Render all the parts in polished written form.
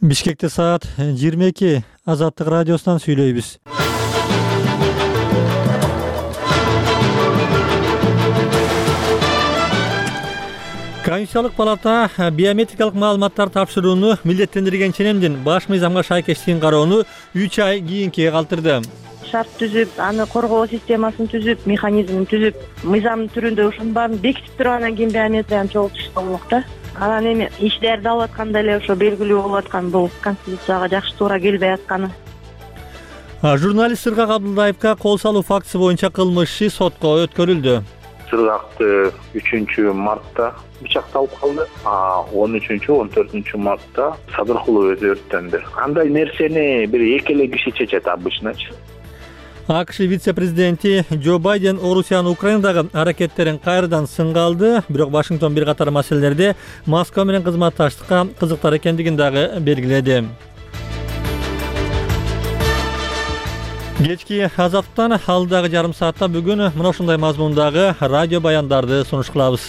Бишкекте саат 22 Азаттык радиосунан сүйлөйбүз. Конституциялык палата биометрикалык маалыматтар тапшырууну милдеттендирген ченемдин баш мыйзамга шайкештигин кароону 3 ай кийинкиге калтырды. Шарт түзүп, аны коргоо системасын түзүп, механизмин түзүп, мыйзамдын түрүндө ушунун баарын бекитип туруп анан кийин биометрияны чогултуш болмок да. Анан эми иштерди алып атканда эле ошо белгилүү болуп аткан бул конституцияга жакшы туура келбей атканы. Журналист Сыргак Абдулдаевга кол салуу фактысы боюнча кылмыш иши сотко өткөрүлдү. Сыргакты 3-мартта бычакталып калды. 13-14 мартта Садыркулов өзү өрттөндү. Андай нерсени бир эки эле киши чечет обычночу. АКШ вице-президенти Джо Байден Орусиянын Украинадагы аракеттерин кайрадан сынга алды, бирок Вашингтон бир катар маселелерде Москва менен кызматташтыкка кызыктар экендигин дагы белгиледи. Кечки Азаттан алдагы жарым саатта бүгүн мына ушундай мазмундагы радио баяндарды сунуш кылабыз.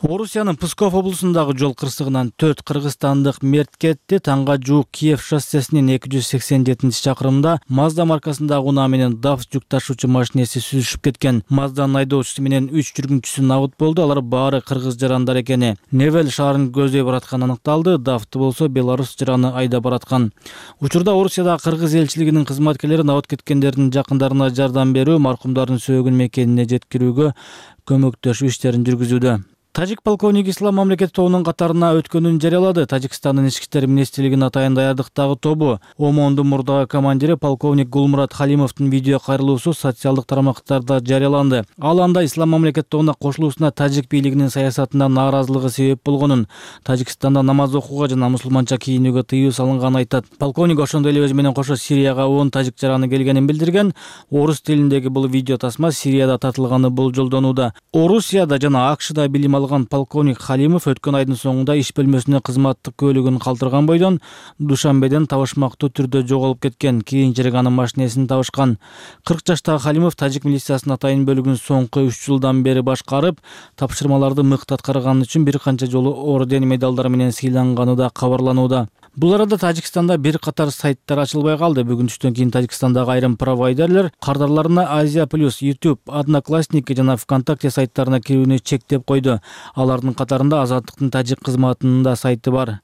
Орусиянын Псков облусундагы жол кырсыгынан 4 кыргызстандык мерт кетти. Таңга жуук Киев шоссесинин 287-чакырымында Mazda маркасындагы унаа менен DAF жүк ташуучу машинеси сүзүшүп кеткен. Mazda'нын айдоочусу менен 3 жүргүнчүсү набыт болду. Алар баары кыргыз жарандар экени. Невель шаарын көздөй баратканы аныкталды. DAF'ты болсо Беларусь жараны айдап бараткан. Учурда Орусиядагы кыргыз элчилигинин кызматкерлери набыт кеткендердин жакындарына жардам берүү, маркумдардын сөөгүн мекенине жеткирүүгө көмөктөшүү иштерин жүргүзүүдө. Тажик полковниги Ислам мамлекети тобунун катарына өткөнүн жарыялады. Тажикстандын ички иштер министрлигинин атайын даярдыктагы тобу ОМОНдун мурдагы командири полковник Гулмурат Халимовдун видео кайрылуусу социалдык тармактарда жарыяланды. Ал анда Ислам мамлекети тобуна кошулуусуна тажик бийлигинин саясатына нааразылыгы себеп болгонун, Тажикстанда намаз окууга жана мусулманча кийинүүгө тыюу салынганын айтат. Полковник ошондой эле өзү менен кошо Сирияга 10 тажик жараны келгенин билдирген. Орус тилиндеги бул видео тасма Сирияда татылганы болжолдонууда. Орусияда жана АКШда билим алган полковник Халимов өткөн айдын соңунда иш бөлмөсүнө кызматтык көлүгүн калтырган бойдон Душанбеден табышмактуу түрдө жоголуп кеткен. Кийинчерээк анын машинесин табышкан. 40 жаштагы Халимов тажик милициясынын атайын бөлүгүн соңку 3 жылдан бери башкарып, тапшырмаларды мыкты аткарганы үчүн бир канча жолу орден медалдар менен сыйланганы да кабарланууда. Бул арада Тажикстанда бир катар сайттар ачылбай калды. Бүгүн түштөн кийин Тажикстандагы айрым провайдерлер кардарларына Азия Плюс, YouTube, Одноклассники жана ВКонтакте сайттарына кирүүнү чектеп койду. Алардын катарында Азаттыктын тажик кызматынын да сайты бар.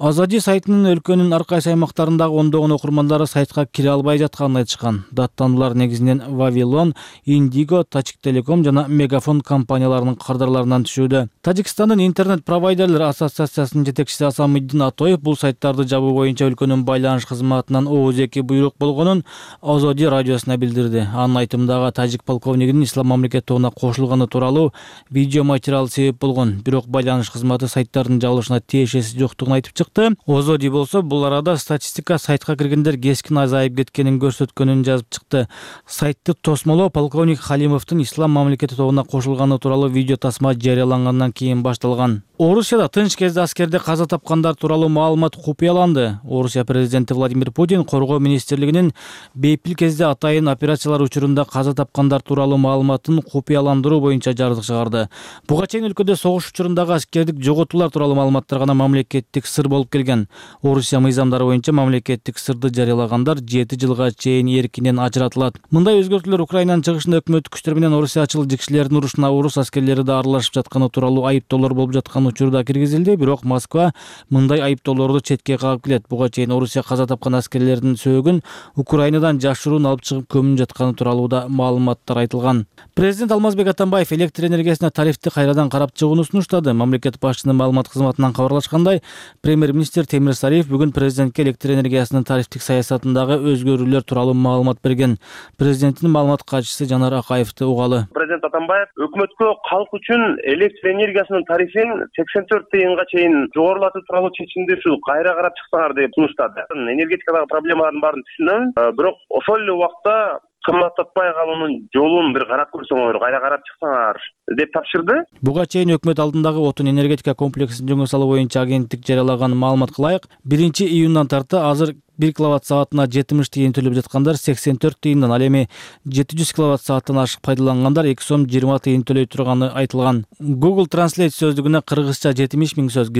Азади сайтынын өлкөнүн ар кайсы аймактарындагы ондогон окурмандары сайтка кире албай жатканын айтышкан. Даттануулар негизинен Вавилон, Индиго, Тажиктелеком жана Мегафон компанияларынын кардарларынан түшүүдө. Тажикстандын интернет-провайдерлер ассоциациясынын жетекчиси Асамиддин Атоев бул сайттарды жабуу боюнча өлкөнүн байланыш кызматынан оозеки буйрук болгонун Азади радиосуна билдирди. Анын айтымындагы тажик полковнигинин Ислам мамлекети тобуна кошулганы тууралуу видео материал себеп болгон. Бирок байланыш кызматы сайттардын жабылышына тиешеси жоктугун айтып чыкты. Озоди болсо бул арада статистика сайтка киргендер кескин азайып кеткенин көрсөткөнүн жазып чыкты. Сайтты тосмолоо полковник Халимовдун Ислам мамлекети тобуна кошулганы тууралуу видео тасма жарыялангандан кийин башталган. Орусияда тынч кезде аскерде каза тапкандар тууралуу маалымат купуяланды. Орусия президенти Владимир Путин коргоо министрлигинин бейпил кезде атайын операциялар учурунда каза тапкандар тууралуу маалыматын купуяландыруу боюнча жардык чыгарды. Буга чейин өлкөдө согуш учурундагы аскердик жоготуулар тууралуу маалыматтар гана мамлекеттик сыр болуп келген. Орусия мыйзамдары боюнча мамлекеттик сырды жарыялагандар 7 жылга чейин эркинен ажыратылат. Мындай өзгөртүүлөр Украинанын чыгышында өкмөттүк күчтөр менен орусиячыл кишилердин урушуна орус аскерлери да аралашып жатканы тууралуу айыптоолор болуп жаткан учурда киргизилди, бирок Москва мындай айыптоолорду четке кагып келет. Буга чейин Орусия каза тапкан аскерлердин сөөгүн Украинадан жашыруун алып чыгып көмүнүп жатканы тууралуу да маалыматтар айтылган. Президент Алмазбек Атамбаев электр энергиясына тарифти кайрадан карап чыгууну сунуштады. Мамлекет башчысынын маалымат кызматынан кабарлашкандай, премьер-министр Темир Сариев бүгүн президентке электр энергиясынын тарифтик саясатындагы өзгөрүүлөр тууралуу маалымат берген. Президенттин маалымат катчысы Жанар Акаевди угалы. Президент Атамбаев өкмөткө калк үчүн электр энергиясынын тарифин 84 тыйынга чейин жогорулатуу тууралуу чечимди ушу кайра карап чыксаңар деп сунуштады. Энергетикадагы проблемалардын баарын түшүнөм, бирок ошол эле убакта кымбаттатпай калуунун жолун бир карап көрсөңөр, кайра карап чыксаңар деп тапшырды. Буга чейин өкмөт алдындагы отун энергетика комплексин жөнгө салуу боюнча агенттик жарыялаган маалымат кылайык. 1-июндан тарты азыр 1 киловатт саатына 70 тыйын төлөп жаткандар 84 тыйындан, ал эми 700 киловатт сааттан ашык пайдалангандар 2 сом 20 тыйын төлөй турганы айтылган. Google Translate сөздүгүнө кыргызча 70 000 сөз